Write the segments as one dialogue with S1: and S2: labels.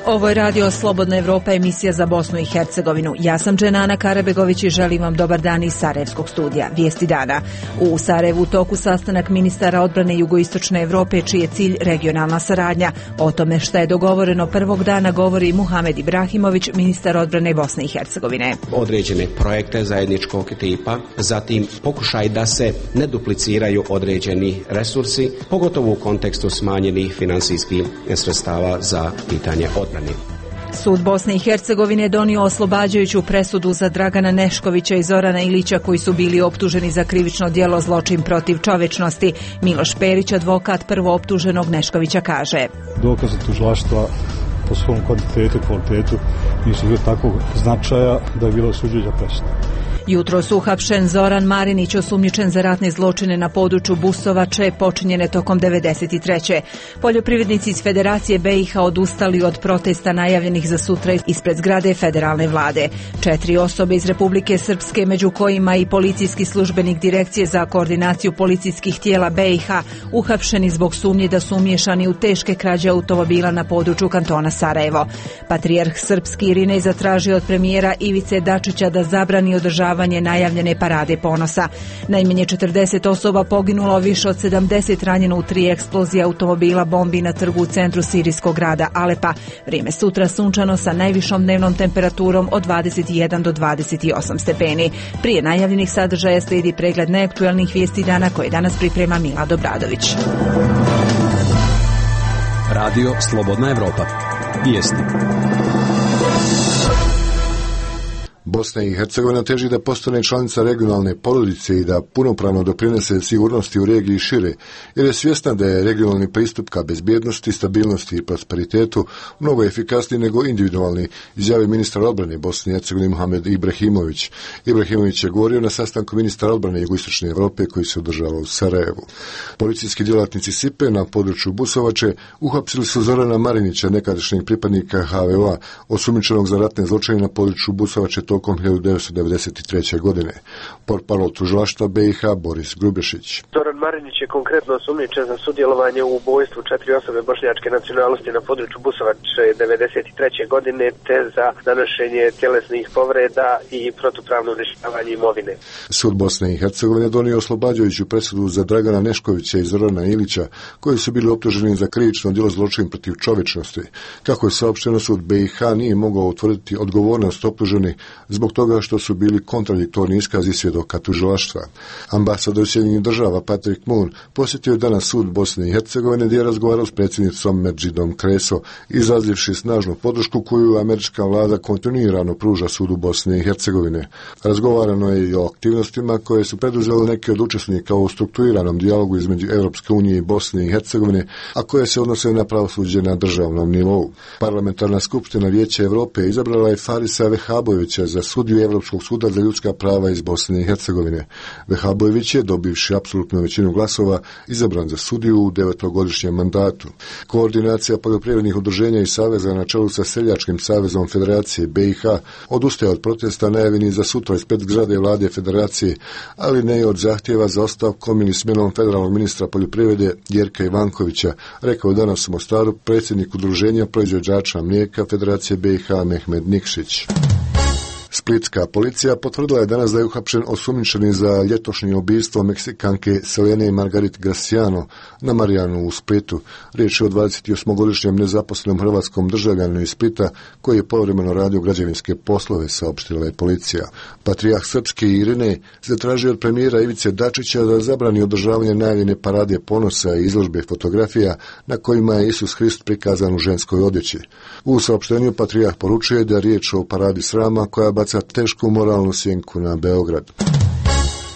S1: Ovo je Radio Slobodna Evropa, emisija za Bosnu i Hercegovinu. Ja sam Dženana Karabegović i želim vam dobar dan iz Sarajevskog studija. Vijesti dana. U Sarajevu u toku sastanak ministara odbrane Jugoistočne Evrope, čiji je cilj regionalna saradnja. O tome šta je dogovoreno prvog dana govori Muhamed Ibrahimović, ministar odbrane Bosne i Hercegovine.
S2: Određene projekte zajedničkog tipa, zatim pokušaj da se ne dupliciraju određeni resursi, pogotovo u kontekstu smanjenih finansijskih sredstava za pitanje odbrane.
S1: Sud Bosne i Hercegovine je donio oslobađajuću presudu za Dragana Neškovića i Zorana Ilića, koji su bili optuženi za krivično djelo zločin protiv čovječnosti. Miloš Perić, advokat prvooptuženog Neškovića, kaže:
S3: Dokaze tužilaštva po svom kvantitetu i kvalitetu nisu bili takvog značaja da je bilo osuđujuća presuda.
S1: Jutros uhapšen Zoran Marinić, osumnjičen za ratne zločine na području Busovače počinjene tokom 1993. Poljoprivrednici iz Federacije BiH odustali od protesta najavljenih za sutra ispred zgrade federalne vlade. 4 osobe iz Republike Srpske, među kojima i policijski službenik Direkcije za koordinaciju policijskih tijela BiH, uhapšeni zbog sumnje da su umiješani u teške krađe automobila na području kantona Sarajevo. Patrijarh srpski Irinej zatražio od premijera Ivice Dačića da zabrani održavanje najavljene parade ponosa. Najmanje 40 osoba poginulo, više od 70 ranjeno u 3 eksplozije automobila bombi na trgu u centru sirijskog grada Alepa. Vrijeme sutra sunčano sa najvišom dnevnom temperaturom od 21 do 28 stepeni. Prije najavljenih sadržaja slijedi pregled najaktuelnijih vijesti dana koje danas priprema Milad Obradović.
S4: Radio Slobodna Evropa. Vijesti.
S5: Bosna i Hercegovina teži da postane članica regionalne porodice i da punopravno doprinese sigurnosti u regiji šire, jer je svjesna da je regionalni pristup ka bezbjednosti, stabilnosti i prosperitetu mnogo efikasniji nego individualni, izjavio ministar odbrane Bosne i Hercegovine Muhamed Ibrahimović. Ibrahimović je govorio na sastanku ministara odbrane Jugoistočne Evrope koji se održava u Sarajevu. Policijski djelatnici SIPE na području Busovače uhapsili su Zorana Marinića, nekadašnjeg pripadnika HVO-a, osumnjičenog za ratne zločine na području Busovače tokom 1993. godine. Portparol tužilaštva BiH Boris Grubešić.
S6: Zoran Marinić je konkretno osumnjičen za sudjelovanje u ubojstvu 4 osobe bošnjačke nacionalnosti na području Busovače 1993. godine te za nanošenje tjelesnih povreda i protupravno uništavanje imovine.
S5: Sud Bosne i Hercegovine donio oslobađajuću presudu za Dragana Neškovića i Zorana Ilića, koji su bili optuženi za krivično djelo zločin protiv čovječnosti. Kako je saopšteno, sud BiH nije mogao utvrditi odgovornost optuženih zbog toga što su bili kontradiktorni iskazi svjedoka tužilaštva. Ambasador Sjedinjenih Država Patrick Moon posjetio je danas sud Bosne i Hercegovine gdje je razgovarao s predsjednicom Medžidom Kreso, izrazivši snažnu podršku koju američka vlada kontinuirano pruža sudu Bosne i Hercegovine. Razgovarano je i o aktivnostima koje su preduzeli neki od učesnika u strukturiranom dijalogu između Europske unije i Bosne i Hercegovine, a koje se odnose na pravosuđe na državnom nivou. Parlamentarna skupština Vijeća Europe izabrala je Farisa Vehabovića za sudiju Europskog suda za ljudska prava iz Bosne i Hercegovine. Vehabović je, dobivši apsolutnu većinu glasova, izabran za sudiju u 9-godišnjem mandatu. Koordinacija poljoprivrednih udruženja i saveza na čelu sa Seljačkim savezom Federacije BiH odustaje od protesta najavljenih za sutra ispred zgrade vlade Federacije, ali ne i od zahtjeva za ostavkom ili smjenom federalnog ministra poljoprivrede Jerka Ivankovića, rekao je danas u Mostaru predsjednik udruženja proizvođača mlijeka Federacije BiH Mehmed Nikšić. Splitska policija potvrdila je danas da je uhapšen osumnjičeni za ljetošnje ubistvo Meksikanke Selene Margarit Graciano na Marijanu u Splitu. Riječ je o 28-godišnjem nezaposlenom hrvatskom državljaninu iz Splita koji je povremeno radio građevinske poslove, saopštila je policija. Patrijarh srpski Irinej zatražio od premijera Ivice Dačića da zabrani održavanje najavljene parade ponosa i izložbe fotografija na kojima je Isus Hrist prikazan u ženskoj odjeći. U saopštenju patrijarh poručuje da je riječ o paradi srama koja baca tešku moralnu sjenku na Beograd.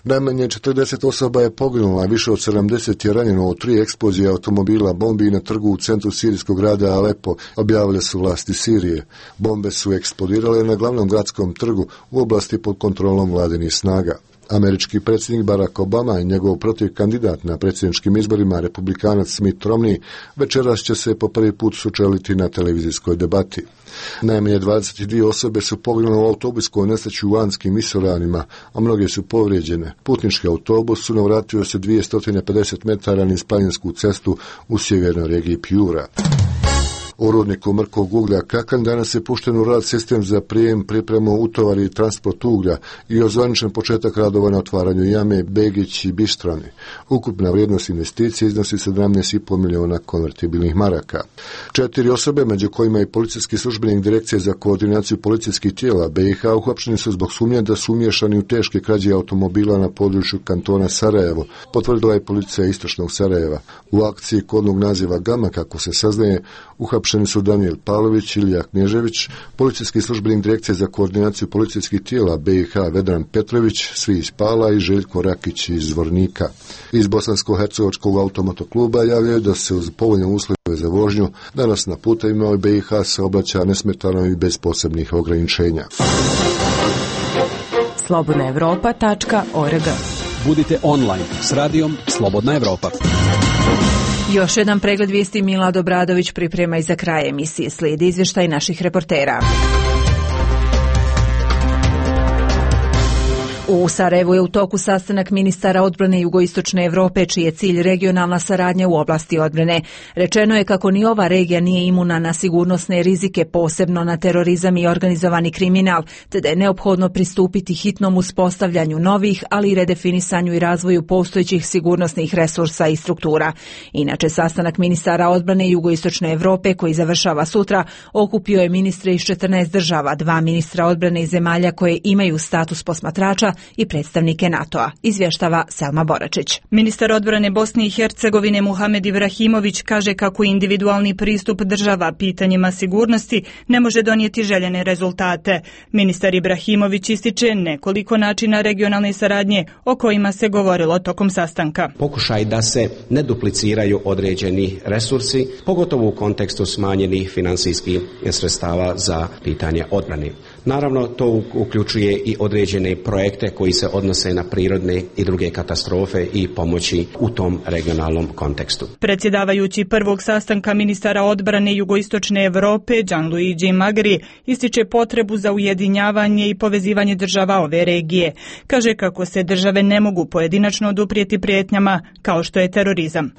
S5: Najmanje 40 osoba je poginulo, a više od 70 je ranjeno u 3 eksplozije automobila bombi na trgu u centru sirijskog grada Alepo, objavile su vlasti Sirije. Bombe su eksplodirale na glavnom gradskom trgu u oblasti pod kontrolom vladinih snaga. Američki predsjednik Barack Obama i njegov protivkandidat na predsjedničkim izborima, republikanac Mitt Romney, večeras će se po prvi put sučeliti na televizijskoj debati. Najmanje 22 osobe su poginule u autobuskoj nesreći u Anskim visoravnima, a mnoge su povrijeđene. Putnički autobus su navratio se 250 metara niz planinsku cestu u sjevernoj regiji Piura. U rudniku mrkog uglja Kakan danas je pušten u rad sistem za prijem, pripremu, utovar i transport uglja i ozvaničen početak radova na otvaranju jame Begić i Bištrani. Ukupna vrijednost investicije iznosi 17,5 miliona konvertibilnih maraka. 4 osobe, među kojima i policijski službenik Direkcije za koordinaciju policijskih tijela BiH, uhapšeni su zbog sumnje da su umiješani u teške krađe automobila na području kantona Sarajevo, potvrdila je policija istočnog Sarajeva. U akciji kodnog naziva Gama, kako se saznaje, uhapšeni su Danijel Pavlović, Ilija Knježević, policijski službenik Direkcije za koordinaciju policijskih tijela BiH Vedran Petrović, svi iz Pala, i Željko Rakić iz Zvornika. Iz Bosansko-hercegovačkog automotokluba javljaju da se uz povoljne uslove za vožnju danas na putevima BiH saobraća nesmetano i bez posebnih ograničenja.
S7: slobodnaevropa.org.
S4: Budite online s radijom Slobodna Evropa.
S1: Još jedan pregled vijesti Milad Obradović priprema i za kraj emisije. Slijedi izvještaj naših reportera. U Sarajevu je u toku sastanak ministara odbrane Jugoistočne Evrope, čiji je cilj regionalna saradnja u oblasti odbrane. Rečeno je kako ni ova regija nije imuna na sigurnosne rizike, posebno na terorizam i organizovani kriminal, te da je neophodno pristupiti hitnom uspostavljanju novih, ali i redefinisanju i razvoju postojećih sigurnosnih resursa i struktura. Inače, sastanak ministara odbrane Jugoistočne Evrope, koji završava sutra, okupio je ministre iz 14 država, 2 ministra odbrane iz zemalja koje imaju status posmatrača i predstavnike NATO-a, izvještava Selma Boračić.
S8: Ministar odbrane Bosne i Hercegovine Muhamed Ibrahimović kaže kako individualni pristup država pitanjima sigurnosti ne može donijeti željene rezultate. Ministar Ibrahimović ističe nekoliko načina regionalne saradnje o kojima se govorilo tokom sastanka.
S2: Pokušaj da se ne dupliciraju određeni resursi, pogotovo u kontekstu smanjenih finansijskih sredstava za pitanje odbrane. Naravno, to uključuje i određene projekte koji se odnose na prirodne i druge katastrofe i pomoći u tom regionalnom kontekstu.
S8: Predsjedavajući prvog sastanka ministara odbrane Jugoistočne Evrope, Gianluigi Magri, ističe potrebu za ujedinjavanje i povezivanje država ove regije. Kaže kako se države ne mogu pojedinačno oduprijeti prijetnjama kao što je terorizam.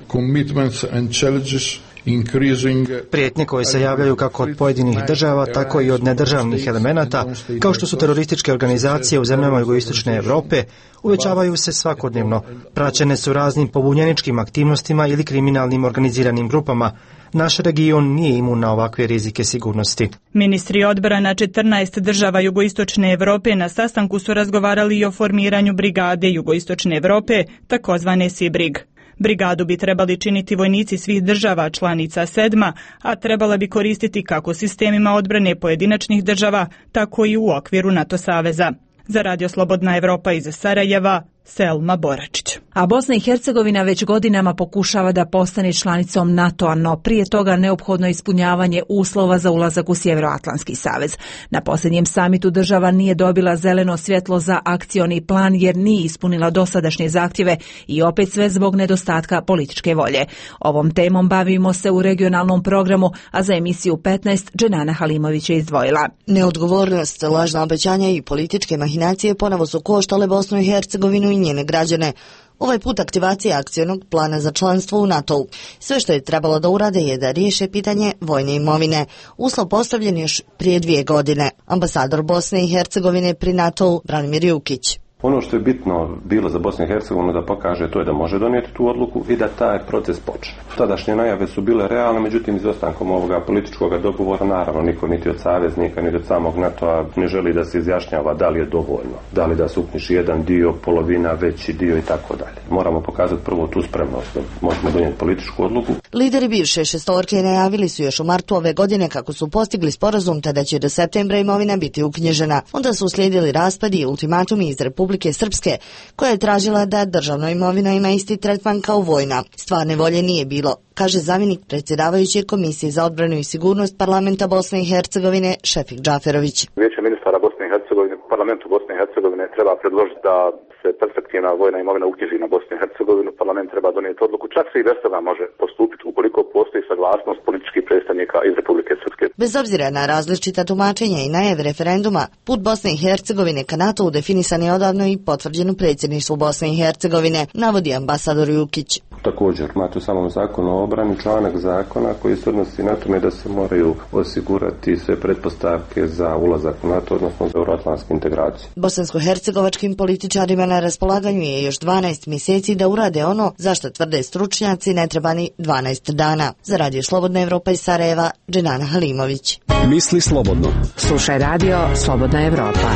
S9: Prijetnje koje se javljaju kako od pojedinih država, tako i od nedržavnih elemenata, kao što su terorističke organizacije u zemljama Jugoistočne Evrope, uvećavaju se svakodnevno. Praćene su raznim pobunjeničkim aktivnostima ili kriminalnim organiziranim grupama. Naš region nije imun na ovakve rizike sigurnosti.
S8: Ministri odbrana 14 država Jugoistočne Evrope na sastanku su razgovarali i o formiranju brigade Jugoistočne Evrope, takozvane SIBRIG. Brigadu bi trebali činiti vojnici svih država članica 7, a trebala bi koristiti kako sistemima odbrane pojedinačnih država, tako i u okviru NATO saveza. Za Radio Slobodna Evropa iz Sarajeva, Selma Boračić.
S1: A Bosna i Hercegovina već godinama pokušava da postane članicom NATO-a, no prije toga neophodno ispunjavanje uslova za ulazak u Sjevernoatlantski savez. Na posljednjem samitu država nije dobila zeleno svjetlo za akcioni plan jer nije ispunila dosadašnje zahtjeve i opet sve zbog nedostatka političke volje. Ovom temom bavimo se u regionalnom programu, a za emisiju 15 Dženana Halimović je izdvojila.
S10: Neodgovornost, lažna obećanja i političke mahinacije ponovo su koštale Bosnu i Hercegovinu i njene građane. Ovaj put aktivacija akcionog plana za članstvo u NATO-u. Sve što je trebalo da urade je da riješe pitanje vojne imovine. Uslov postavljen još prije 2 godine. Ambasador Bosne i Hercegovine pri NATO-u Branimir Jukić.
S11: Ono što je bitno bilo za Bosnu i Hercegovinu da pokaže to je da može donijeti tu odluku i da taj proces počne. Tadašnje najave su bile realne, međutim izostankom ovoga političkog dogovora naravno niko niti od saveznika niti od samog NATO-a ne želi da se izjašnjava da li je dovoljno, da li da se uknjiži jedan dio, polovina, veći dio i tako dalje. Moramo pokazati prvo tu spremnost da možemo donijeti političku odluku.
S10: Lideri bivše šestorke najavili su još u martu ove godine kako su postigli sporazum te da će do septembra imovina biti uknjižena. Onda su uslijedili raspadi i ultimatumi iz Republike Srpske, koja je tražila da državna imovina ima isti tretman kao vojna. Stvarne volje nije bilo, kaže zamjenik predsjedavajuće Komisije za odbranu i sigurnost Parlamenta Bosne i Hercegovine Šefik Džaferović.
S12: Vijeće ministara Bosne i Hercegovine, Parlamentu Bosne i Hercegovine treba predložiti da se perspektivna vojna imovina uknjiži na Bosnu i Hercegovinu. Parlament treba donijeti odluku, čak se i bez toga može postupiti ukoliko postoji saglasnost političkih predstavnika iz Republike Srpske.
S10: Bez obzira na različita tumačenja i najave referenduma, put Bosne i Hercegovine ka NATO-u definisan je odavno i potvrđen u predsjedništvu Bosne i Hercegovine, navodi ambasador Jukić.
S11: Također, imate u samom zakonu o obrani članak zakona koji se odnosi na tome da se moraju osigurati sve pretpostavke za ulazak u NATO, odnosno za euroatlantsku integraciju.
S10: Bosansko-hercegovačkim političarima na raspolaganju je još 12 mjeseci da urade ono zašto tvrde stručnjaci ne treba ni 12 dana. Za Radio Slobodna Evropa iz Sarajeva, Dženana Halimović.
S4: Misli slobodno.
S7: Slušaj Radio Slobodna Evropa.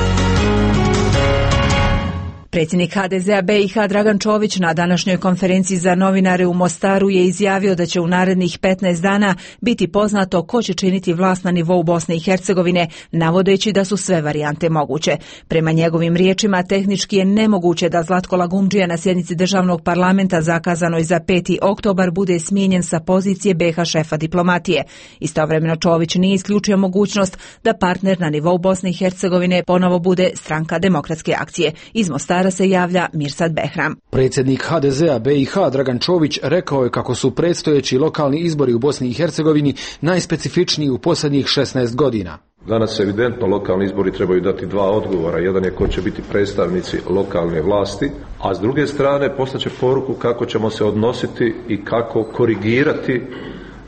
S1: Predsjednik HDZ-a BiH Dragan Čović na današnjoj konferenciji za novinare u Mostaru je izjavio da će u narednih 15 dana biti poznato ko će činiti vlast na nivou Bosne i Hercegovine, navodeći da su sve varijante moguće. Prema njegovim riječima, tehnički je nemoguće da Zlatko Lagumdžija na sjednici državnog parlamenta zakazanoj za 5. oktobar bude smijenjen sa pozicije BiH šefa diplomatije. Istovremeno Čović nije isključio mogućnost da partner na nivou Bosne i Hercegovine ponovo bude Stranka demokratske akcije. Iz Mostara se javlja Mirsad Behram.
S13: Predsjednik HDZ-a BiH Dragan Čović rekao je kako su predstojeći lokalni izbori u Bosni i Hercegovini najspecifičniji u posljednjih 16 godina.
S14: Danas evidentno lokalni izbori trebaju dati dva odgovora. Jedan je ko će biti predstavnici lokalne vlasti, a s druge strane poslaće poruku kako ćemo se odnositi i kako korigirati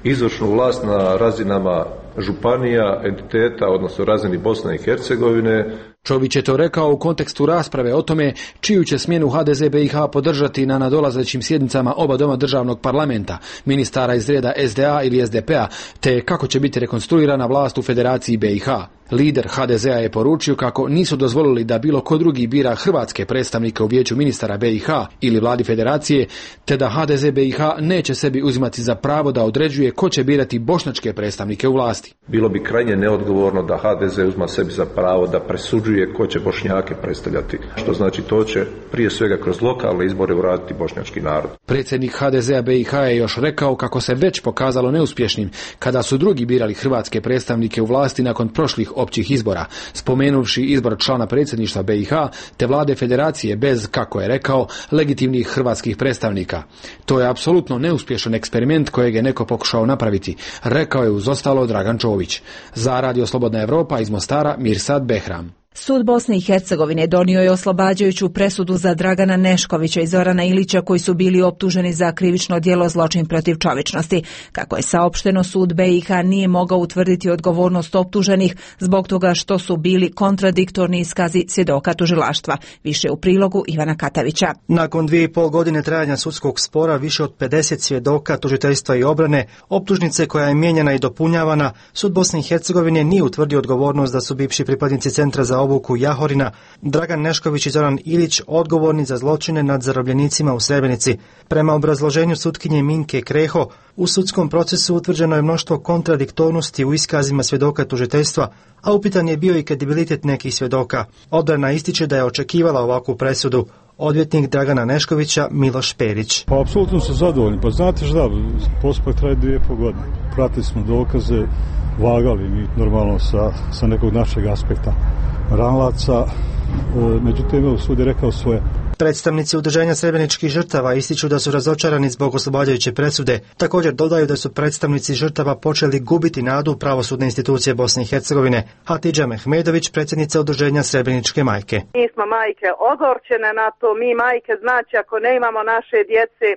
S14: izvršnu vlast na razinama županija, entiteta, odnosno razini Bosne i Hercegovine.
S13: Čović je to rekao u kontekstu rasprave o tome čiju će smjenu HDZ BiH podržati na nadolazećim sjednicama oba doma državnog parlamenta, ministara iz reda SDA ili SDP-a, te kako će biti rekonstruirana vlast u Federaciji BiH. Lider HDZ-a je poručio kako nisu dozvolili da bilo ko drugi bira hrvatske predstavnike u vijeću ministara BiH ili vladi federacije, te da HDZ BiH neće sebi uzimati za pravo da određuje ko će birati bošnjačke predstavnike u vlasti.
S14: Bilo bi krajnje neodgovorno da HDZ uzma sebi za pravo da presuđuje ko će Bošnjake predstavljati, što znači to će prije svega kroz lokalne izbore uraditi bošnjački narod.
S13: Predsjednik HDZ-a BiH je još rekao kako se već pokazalo neuspješnim kada su drugi birali hrvatske predstavnike u vlasti nakon prošlih općih izbora, spomenuvši izbor člana predsjedništva BiH te vlade federacije bez, kako je rekao, legitimnih hrvatskih predstavnika. To je apsolutno neuspješan eksperiment kojeg je neko pokušao napraviti, rekao je uz ostalo Dragan Čović. Za Radio Slobodna Evropa iz Mostara, Mirsad Behram.
S1: Sud Bosne i Hercegovine donio je oslobađajuću presudu za Dragana Neškovića i Zorana Ilića koji su bili optuženi za krivično djelo zločin protiv čovječnosti. Kako je saopšteno, sud BiH nije mogao utvrditi odgovornost optuženih zbog toga što su bili kontradiktorni iskazi svjedoka tužilaštva. Više u prilogu Ivana Katavića.
S9: Nakon 2,5 godine trajanja sudskog spora, više od 50 svjedoka, tužiteljstva i obrane, optužnice koja je mijenjana i dopunjavana, sud Bosne i Hercegovine nije utvrdio odgovornost da su bivši pripadnici Centra za obuku Jahorina, Dragan Nešković i Zoran Ilić odgovorni za zločine nad zarobljenicima u Srebrenici. Prema obrazloženju sutkinje Minke Kreho, u sudskom procesu utvrđeno je mnoštvo kontradiktornosti u iskazima svjedoka tužiteljstva, a upitan je bio i kredibilitet nekih svjedoka. Odbrana ističe da je očekivala ovakvu presudu. Odvjetnik Dragana Neškovića Miloš Perić.
S3: Pa apsolutno su zadovoljni. Pa znate šta, postupak traje 2,5 godine. Pratili smo dokaze, vagali mi normalno sa nekog našeg aspekta ranlaca, međutim sud je rekao svoje.
S9: Predstavnici udruženja srebreničkih žrtava ističu da su razočarani zbog oslobađajuće presude. Također dodaju da su predstavnici žrtava počeli gubiti nadu u pravosudne institucije Bosne i Hercegovine. Hatidža Mehmedović, predsjednica udruženja Srebreničke majke.
S15: Mi smo majke ogorčene na to, mi majke, znači ako ne imamo naše djece,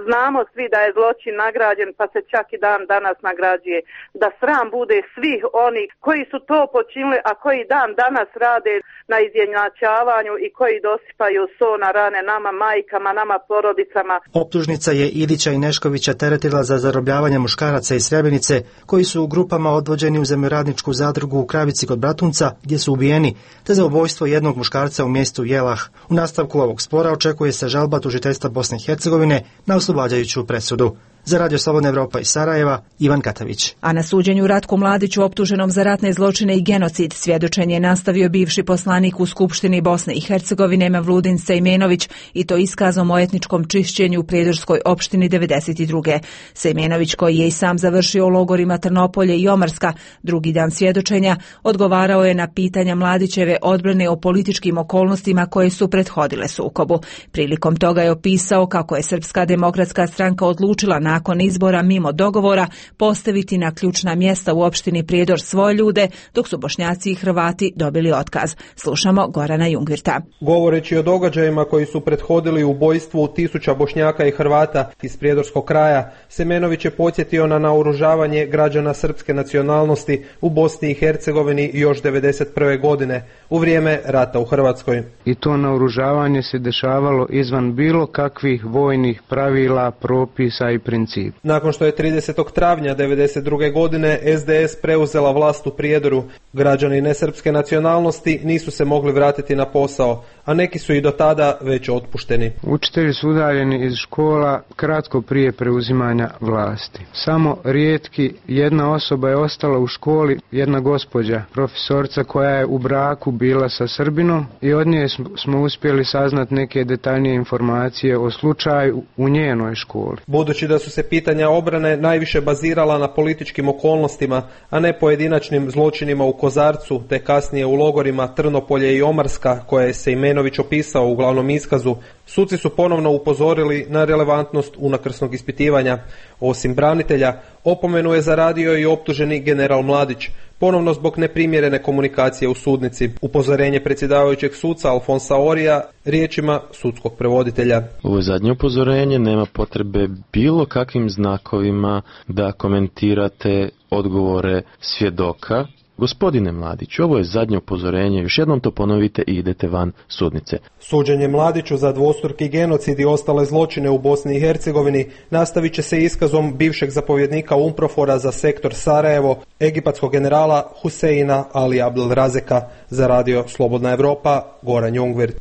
S15: znamo svi da je zločin nagrađen, pa se čak i dan danas nagrađuje. Da sram bude svih onih koji su to počinili, a koji dan danas rade na izjednačavanju i koji dosipaju so na rane nama majkama, nama porodicama.
S9: Optužnica je Ilića i Neškovića teretila za zarobljavanje muškaraca iz Srebrenice koji su u grupama odvođeni u zemljoradničku zadrugu u Kravici kod Bratunca gdje su ubijeni, te za ubojstvo jednog muškarca u mjestu Jelah. U nastavku ovog spora očekuje se žalba tužiteljstva Bosne i Hercegovine na oslobađajuću presudu. Za Radio Slobodna Evropa iz Sarajeva, Ivan Katavić.
S1: A na suđenju Ratku Mladiću optuženom za ratne zločine i genocid svjedočenje je nastavio bivši poslanik u Skupštini Bosne i Hercegovine Mevludin Sejmenović i to iskazom o etničkom čišćenju u Prijedorskoj opštini 92. Sejmenović, koji je i sam završio u logorima Trnopolje i Omarska, drugi dan svjedočenja odgovarao je na pitanja Mladićeve odbrane o političkim okolnostima koje su prethodile sukobu. Prilikom toga je opisao kako je Srpska demokratska stranka odlučila nakon izbora mimo dogovora postaviti na ključna mjesta u opštini Prijedor svoje ljude, dok su Bošnjaci i Hrvati dobili otkaz. Slušamo Gorana Jungvirta.
S16: Govoreći o događajima koji su prethodili ubojstvu tisuća Bošnjaka i Hrvata iz Prijedorskog kraja, Semenović je podsjetio na naoružavanje građana srpske nacionalnosti u Bosni i Hercegovini još 1991. godine, u vrijeme rata u Hrvatskoj.
S17: I to naoružavanje se dešavalo izvan bilo kakvih vojnih pravila, propisa i principa.
S16: Nakon što je 30. travnja 1992. godine SDS preuzela vlast u Prijedoru, građani nesrpske nacionalnosti nisu se mogli vratiti na posao, a neki su i do tada već otpušteni.
S17: Učitelji su udaljeni iz škola kratko prije preuzimanja vlasti. Samo rijetki, jedna osoba je ostala u školi, jedna gospođa, profesorca koja je u braku bila sa Srbinom, i od nje smo uspjeli saznati neke detaljnije informacije o slučaju u njenoj školi.
S16: Budući da su se pitanja obrane najviše bazirala na političkim okolnostima, a ne pojedinačnim zločinima u Kozarcu, te kasnije u logorima Trnopolje i Omarska, koje se Semenović opisao u glavnom iskazu, suci su ponovno upozorili na relevantnost unakrsnog ispitivanja. Osim branitelja, opomenu je zaradio i optuženi general Mladić, ponovno zbog neprimjerene komunikacije u sudnici. Upozorenje predsjedavajućeg suca Alfonsa Orija riječima sudskog prevoditelja.
S18: Ovo zadnje upozorenje, nema potrebe bilo kakvim znakovima da komentirate odgovore svjedoka. Gospodine Mladiću, ovo je zadnje upozorenje, još jednom to ponovite i idete van sudnice.
S16: Suđenje Mladiću za dvostruki genocid i ostale zločine u Bosni i Hercegovini nastavit će se iskazom bivšeg zapovjednika UNPROFOR-a za sektor Sarajevo, egipatskog generala Huseina Ali Abdelrazeka. Za radio Slobodna Evropa, Goran Jungvirt.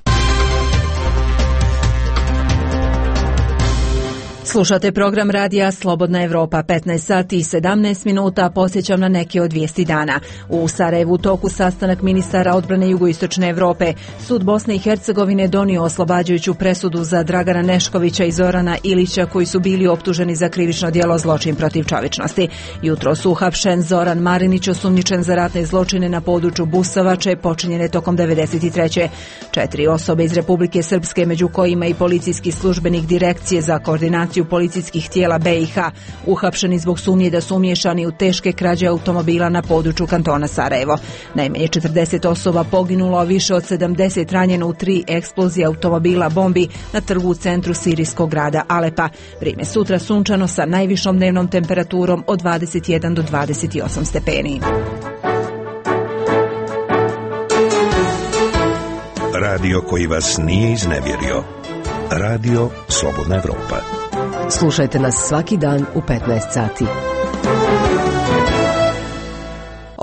S1: Slušate program radija Slobodna Evropa, 15 sati i 17 minuta, posjećam na neke od vijesti dana. U Sarajevu toku sastanak ministara odbrane Jugoistočne Evrope. Sud Bosne i Hercegovine donio oslobađajuću presudu za Dragana Neškovića i Zorana Ilića, koji su bili optuženi za krivično djelo zločin protiv čovječnosti. Jutro su uhapšen Zoran Marinić, osumnjičen za ratne zločine na području Busovače, počinjene tokom 93. 4 osobe iz Republike Srpske, među kojima i policijski službenik Direkcije za koordinaciju policijskih tijela BiH, uhapšeni zbog sumnje da su umiješani u teške krađe automobila na području kantona Sarajevo. Najmanje 40 osoba poginulo, a više od 70 ranjeno u 3 eksplozije automobila bombi na trgu u centru sirijskog grada Alepa. Vrijeme sutra sunčano sa najvišom dnevnom temperaturom od 21 do 28 stepeni.
S19: Radio koji vas nije iznevjerio. Radio Slobodna Evropa.
S7: Slušajte nas svaki dan u 15 sati.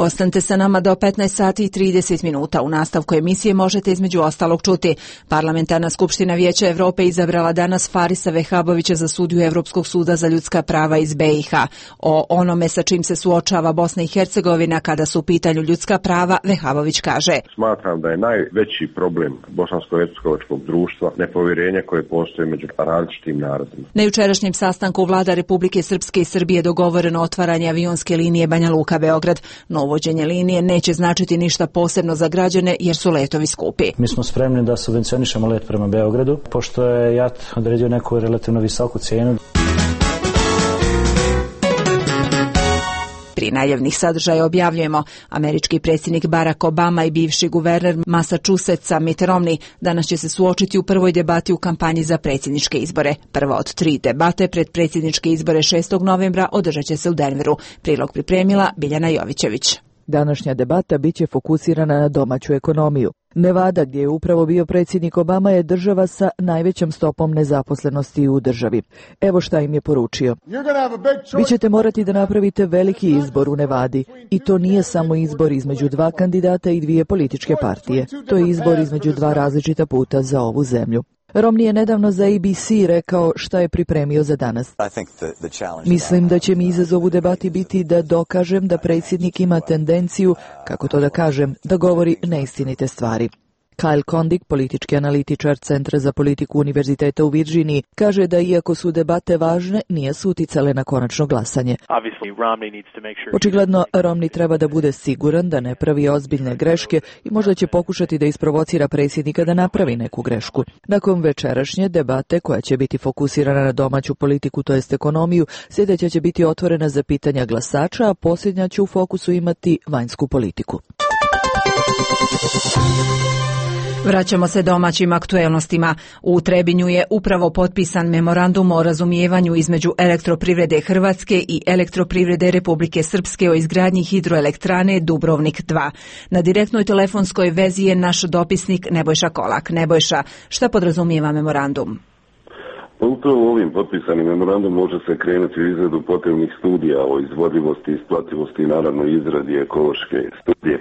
S1: Ostanite sa nama do 15 sati i 30 minuta. U nastavku emisije možete između ostalog čuti: Parlamentarna skupština Vijeća Evrope izabrala danas Farisa Vehabovića za sudiju Evropskog suda za ljudska prava iz BiH. O onome sa čim se suočava Bosna i Hercegovina kada su u pitanju ljudska prava, Vehabović kaže:
S20: Smatram da je najveći problem bosansko-hercegovačkog društva nepovjerenje koje postoji među različitim narodima.
S1: Na jučerašnjem sastanku vlada Republike Srpske i Srbije dogovoreno otvaranje avionske linije Banja Luka-Beograd. Uvođenje linije neće značiti ništa posebno za građane jer su letovi skupi.
S21: Mi smo spremni da subvencionišemo let prema Beogradu, pošto je JAT odredio neku relativno visoku cijenu.
S1: Pri najavnih sadržaja objavljujemo: američki predsjednik Barack Obama i bivši guverner Massachusettsa Mitt Romney danas će se suočiti u prvoj debati u kampanji za predsjedničke izbore. Prva od 3 debate pred predsjedničke izbore 6. novembra održat će se u Denveru. Prilog pripremila Biljana Jovićević.
S22: Današnja debata biće fokusirana na domaću ekonomiju. Nevada, gdje je upravo bio predsjednik Obama, je država sa najvećom stopom nezaposlenosti u državi. Evo šta im je poručio: vi ćete morati da napravite veliki izbor u Nevadi, i to nije samo izbor između 2 kandidata i 2 političke partije. To je izbor između 2 različita puta za ovu zemlju. Romney je nedavno za ABC rekao šta je pripremio za danas. Mislim da će mi izazov u debati biti da dokažem da predsjednik ima tendenciju, kako to da kažem, da govori neistinite stvari. Kyle Kondik, politički analitičar Centra za politiku Univerziteta u Virdžiniji, kaže da iako su debate važne, nije su uticale na konačno glasanje. Očigledno, Romney treba da bude siguran da ne pravi ozbiljne greške i možda će pokušati da isprovocira predsjednika da napravi neku grešku. Nakon večerašnje debate, koja će biti fokusirana na domaću politiku, to jest ekonomiju, sljedeća će biti otvorena za pitanja glasača, a posljednja će u fokusu imati vanjsku politiku.
S1: Vraćamo se domaćim aktuelnostima. U Trebinju je upravo potpisan memorandum o razumijevanju između Elektroprivrede Hrvatske i Elektroprivrede Republike Srpske o izgradnji hidroelektrane Dubrovnik 2. Na direktnoj telefonskoj vezi je naš dopisnik Nebojša Kolak. Nebojša, šta podrazumijeva memorandum?
S5: Upravo ovim potpisanim memorandum može se krenuti u izradu potrebnih studija o izvodivosti, isplativosti i naravno izradi ekološke studije.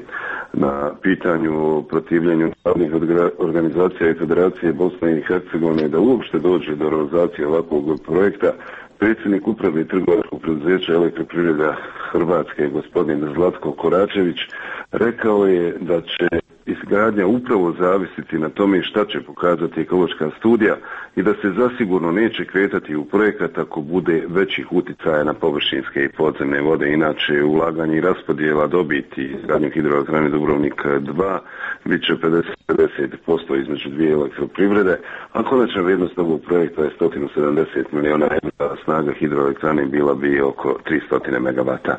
S5: Na pitanju o protivljenju narodnih organizacija i Federacije Bosne i Hercegovine da uopšte dođe do realizacije ovakvog projekta, predsjednik uprave i trgovačkog preduzeća Elektroprivreda Hrvatske, gospodin Zlatko Koračević, rekao je da će izgradnja upravo zavisiti na tome šta će pokazati ekološka studija i da se zasigurno neće kretati u projekat ako bude većih uticaja na površinske i podzemne vode. Inače, ulaganje i raspodjela dobiti izgradnju hidroelektrane Dubrovnik 2 bit će 50% između dvije elektroprivrede, a konačna vrijednost ovog projekta je 170 miliona eura, snaga hidroelektrane bila bi oko 300 megavata.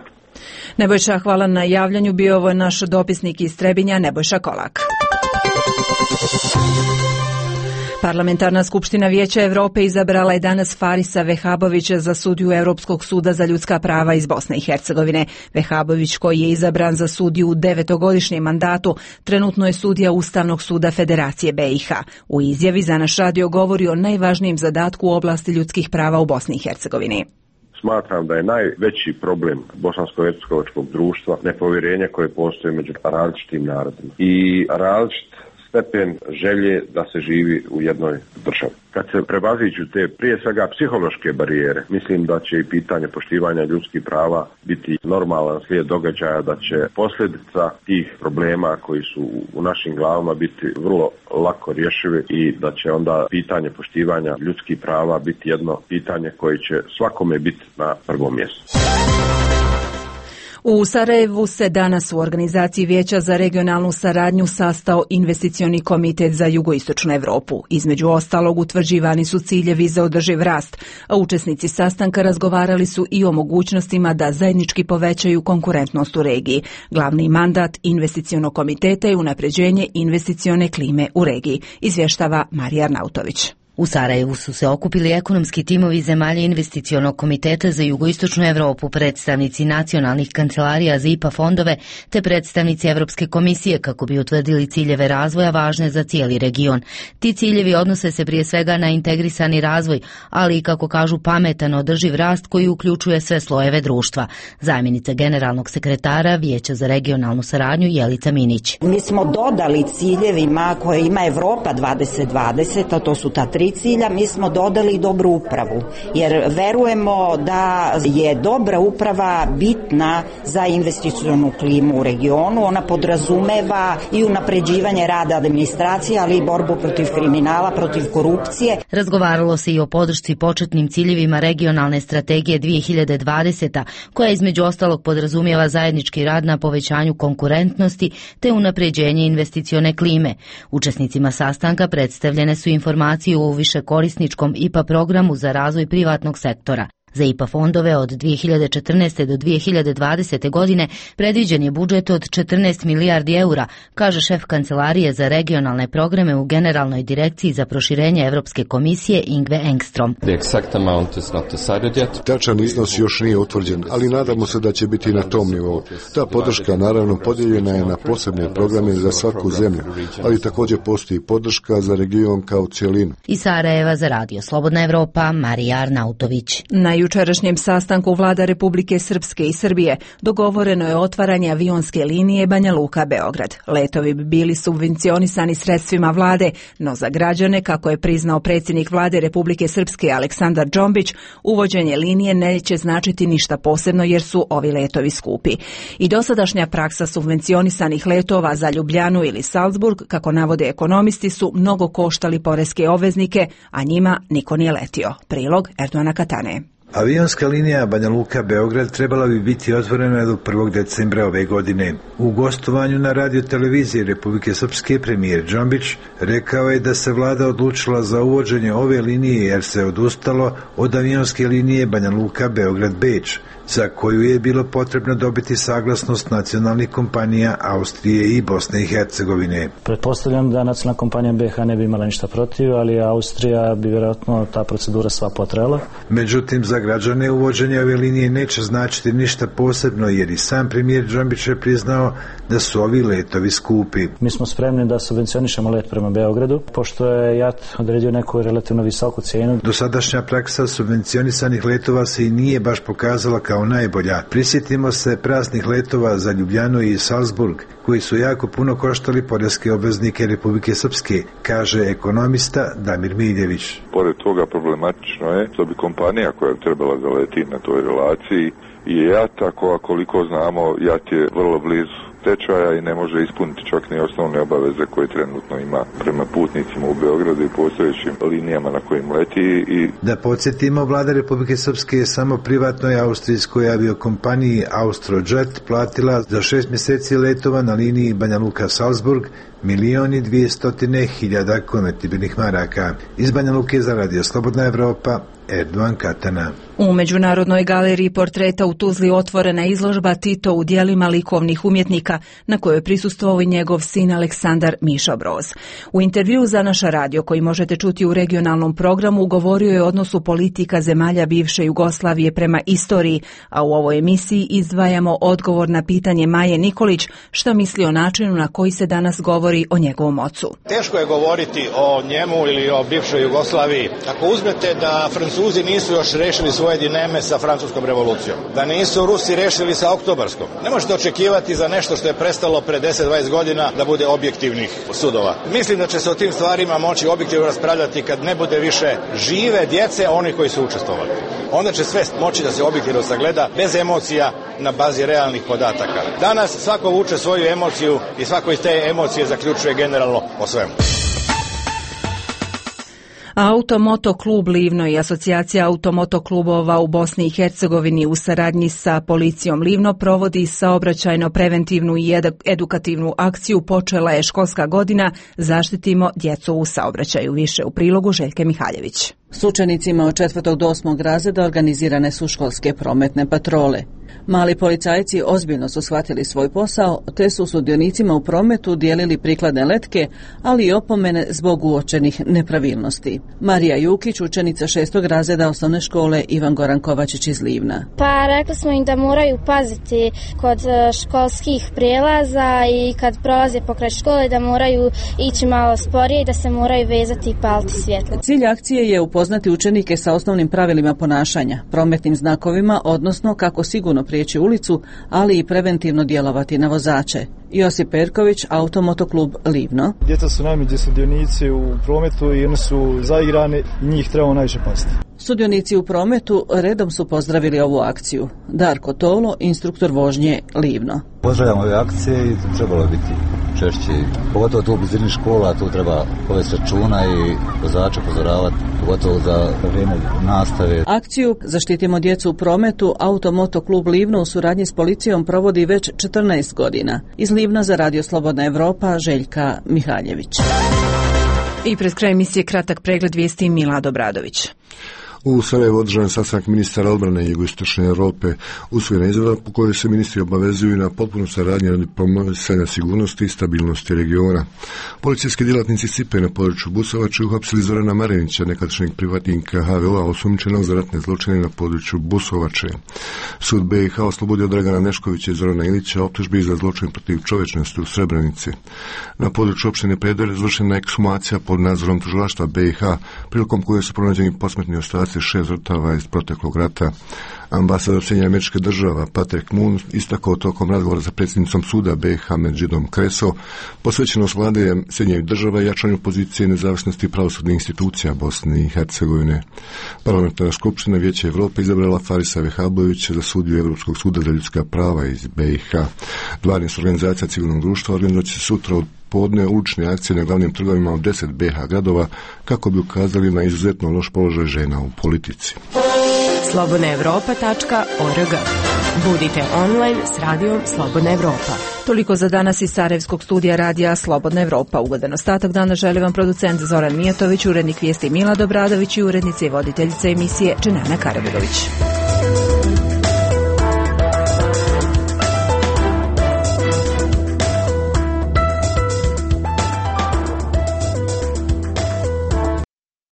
S1: Nebojša, hvala na javljanju. Bio ovo naš dopisnik iz Trebinja, Nebojša Kolak. Parlamentarna skupština Vijeća Europe izabrala je danas Farisa Vehabovića za sudiju Europskog suda za ljudska prava iz Bosne i Hercegovine. Vehabović, koji je izabran za sudiju u 9-godišnjem mandatu, trenutno je sudija Ustavnog suda Federacije BiH. U izjavi za naš radio govori o najvažnijem zadatku u oblasti ljudskih prava u Bosni i Hercegovini.
S20: Smatram da je najveći problem bosansko-hercegovačkog društva nepovjerenje koje postoji među različitim narodima i različit stepen želje da se živi u jednoj državi. Kad se prevaziđu te prije svega psihološke barijere, mislim da će i pitanje poštivanja ljudskih prava biti normalan slijed događaja, da će posljedica tih problema koji su u našim glavama biti vrlo lako rješivi i da će onda pitanje poštivanja ljudskih prava biti jedno pitanje koje će svakome biti na prvom mjestu.
S1: U Sarajevu se danas u organizaciji Vijeća za regionalnu saradnju sastao investicioni komitet za jugoistočnu Europu. Između ostalog utvrđivani su ciljevi za održiv rast, a učesnici sastanka razgovarali su i o mogućnostima da zajednički povećaju konkurentnost u regiji. Glavni mandat investicionog komiteta je unapređenje investicione klime u regiji, izvještava Marija Arnautović.
S6: U Sarajevu su se okupili ekonomski timovi zemalja investicionog komiteta za jugoistočnu Europu, predstavnici nacionalnih kancelarija za IPA fondove te predstavnici Europske komisije kako bi utvrdili ciljeve razvoja važne za cijeli region. Ti ciljevi odnose se prije svega na integrisani razvoj, ali i, kako kažu, pametan održiv rast koji uključuje sve slojeve društva. Zamjenica generalnog sekretara Vijeća za regionalnu saradnju Jelica Minić.
S23: Mi smo dodali ciljevima koje ima Evropa 2020, a to su ta 3 cilja, mi smo dodali dobru upravu, jer verujemo da je dobra uprava bitna za investicionu klimu u regionu. Ona podrazumeva i unapređivanje rada administracije, ali i borbu protiv kriminala, protiv korupcije.
S6: Razgovaralo se i o podršci početnim ciljevima regionalne strategije 2020, koja između ostalog podrazumijeva zajednički rad na povećanju konkurentnosti te unapređenje investicione klime. Učesnicima sastanka predstavljene su informacije o višekorisničkom IPA programu za razvoj privatnog sektora. Za IPA fondove od 2014. do 2020. godine predviđen je budžet od 14 milijardi eura, kaže šef Kancelarije za regionalne programe u Generalnoj direkciji za proširenje Europske komisije Ingve Engstrom.
S24: Tačan iznos još nije utvrđen, ali nadamo se da će biti na tom nivou. Ta podrška naravno podijeljena je na posebne programe za svaku zemlju, ali također postoji podrška za region kao cijelinu.
S6: Iz Sarajeva za radio Slobodna Evropa, Marija Arnautović.
S1: jučerašnjem sastanku vlada Republike Srpske i Srbije dogovoreno je otvaranje avionske linije Banja Luka-Beograd. Letovi bi bili subvencionisani sredstvima vlade, no za građane, kako je priznao predsjednik vlade Republike Srpske Aleksandar Džombić, uvođenje linije neće značiti ništa posebno jer su ovi letovi skupi. I dosadašnja praksa subvencionisanih letova za Ljubljanu ili Salzburg, kako navode ekonomisti, su mnogo koštali poreske obveznike, a njima niko nije letio. Prilog Erdoana Katane.
S2: Avionska linija Banja Luka-Beograd trebala bi biti otvorena do 1. decembra ove godine. U gostovanju na radio televiziji Republike Srpske premijer Džombić rekao je da se vlada odlučila za uvođenje ove linije jer se odustalo od avionske linije Banja Luka-Beograd-Beč, za koju je bilo potrebno dobiti saglasnost nacionalnih kompanija Austrije i Bosne i Hercegovine.
S21: Pretpostavljam da nacionalna kompanija BiH ne bi imala ništa protiv, ali Austrija bi vjerojatno ta procedura sva potrela.
S2: Međutim, za građane uvođenje ove linije neće značiti ništa posebno jer i sam premijer Džombić je priznao da su ovi letovi skupi.
S21: Mi smo spremni da subvencionišemo let prema Beogradu, pošto je JAT odredio neku relativno visoku cijenu.
S2: Dosadašnja praksa subvencionisanih letova se i nije baš pokazala kao najbolja. Prisjetimo se praznih letova za Ljubljanu i Salzburg, koji su jako puno koštali poreske obveznike Republike Srpske, kaže ekonomista Damir Miljević.
S8: Pored toga problematično je što bi kompanija koja je trebala zaleti na toj relaciji i JAT, koliko znamo, JAT je vrlo blizu tečaja i ne može ispuniti čak ni osnovne obaveze koje trenutno ima prema putnicima u Beogradu i postojećim linijama na kojim leti.
S2: Da podsjetimo, vlada Republike Srpske je samo privatnoj austrijskoj aviokompaniji Austrojet platila za 6 mjeseci letova na liniji Banja Luka-Salzburg 1.200.000 konvertibilnih maraka. Iz Banja Luke za radio Slobodna Evropa, Erdoan Katana.
S1: U Međunarodnoj galeriji portreta u Tuzli otvorena izložba Tito u dijelima likovnih umjetnika, na kojoj je prisustvovao i njegov sin Aleksandar Mišo Broz. U intervjuu za naš radio, koji možete čuti u regionalnom programu, govorio je o odnosu politika zemalja bivše Jugoslavije prema istoriji, a u ovoj emisiji izdvajamo odgovor na pitanje Maje Nikolić šta misli o načinu na koji se danas govori o njegovom ocu.
S11: Teško je govoriti o njemu ili o bivšoj Jugoslaviji ako uzmete da Francuzi nisu još rešili svoje dileme sa francuskom revolucijom, da nisu Rusi rešili sa oktobarskom. Ne možete očekivati za nešto što je prestalo pre 10-20 godina da bude objektivnih sudova. Mislim da će se o tim stvarima moći objektivno raspravljati kad ne bude više žive djece onih koji su učestvovali. Onda će sve moći da se objektivno sagleda bez emocija na bazi realnih podataka. Danas svako vuče svoju emociju i svako iz te emocije zaključuje generalno o svemu.
S1: Automoto klub Livno i asocijacija automoto klubova u Bosni i Hercegovini u saradnji sa policijom Livno provodi saobraćajno preventivnu i edukativnu akciju. Počela je školska godina Zaštitimo djecu u saobraćaju. Više u prilogu Željke Mihaljević.
S12: S učenicima od 4. do 8. razreda organizirane su školske prometne patrole. Mali policajci ozbiljno su shvatili svoj posao, te su sudionicima u prometu dijelili prikladne letke, ali i opomene zbog uočenih nepravilnosti. Marija Jukić, učenica 6. razreda osnovne škole Ivan Goran Kovačić iz Livna.
S25: Pa rekli smo im da moraju paziti kod školskih prijelaza i kad prolaze pokraj škole da moraju ići malo sporije i da se moraju vezati i paliti svjetlo.
S12: Cilj akcije je upoznati učenike sa osnovnim pravilima ponašanja, prometnim znakovima, odnosno kako sigurno prijeći ulicu, ali i preventivno djelovati na vozače. Josip Perković, Automotoklub Livno.
S26: Djeca su najmeđi sudionici u prometu i oni su zaigrani i njih trebamo najviše paziti.
S12: Sudionici u prometu redom su pozdravili ovu akciju. Darko Tolo, instruktor vožnje Livno.
S27: Pozdravljamo ove akcije i trebalo biti češće. Pogotovo tu u blizini škola, tu treba povesti računa i vozače upozoravati, pogotovo za vrijeme nastave.
S12: Akciju Zaštitimo djecu u prometu Automotoklub Livno u suradnji s policijom provodi već 14 godina. Iz Livna za radio Slobodna Evropa, Željka Mihaljević.
S1: I pred kraj emisije kratak pregled vijesti Milad Obradović.
S24: U Sarajevu održan sastanak ministara odbrane Jugoistočne Europe, usvojena izjava po kojoj se ministri obavezuju na potpunu saradnju radi promicanja sigurnosti i stabilnosti regiona. Policijski djelatnici Cipe na području Busovače uhapsili Zorana Marinića, nekadašnjeg privatnika HVO-a osumnjičenog za ratne zločine na području Busovače. Sud BiH oslobodio Dragana Neškovića i Zorana Ilića optužbi za zločin protiv čovječnosti u Srebrenici. Na području opštine Predor izvršena ekshumacija pod nadzorom tužilaštva BiH, prilikom koje su pronađeni posmrtni ostaci 26 žrtava iz proteklog rata. Ambasador Sjedinjenih Američkih Država Patrick Moon istakao tokom razgovora sa predsjednicom suda BiH Medžidom Kreso posvećenost vlade Sjedinjenih Država i jačanju pozicije nezavisnosti pravosudnih institucija Bosne i Hercegovine. Parlamentarna skupština Vijeća Europe izabrala Farisa Vehabovića za sudiju Europskog suda za ljudska prava iz BiH. 12 organizacija civilnog društva organizovat će sutra od podne ulične akcije na glavnim trgovima u 10 BiH gradova kako bi ukazali na izuzetno loš položaj žena u politici.
S7: slobodnaevropa.org. Budite online s radijom Slobodna Evropa.
S1: Toliko za danas iz Sarajevskog studija radija Slobodna Evropa. Ugodan ostatak dana želi vam producent Zoran Mijatović, urednik vijesti Milad Obradović i urednica i voditeljica emisije Dženana Karabegović.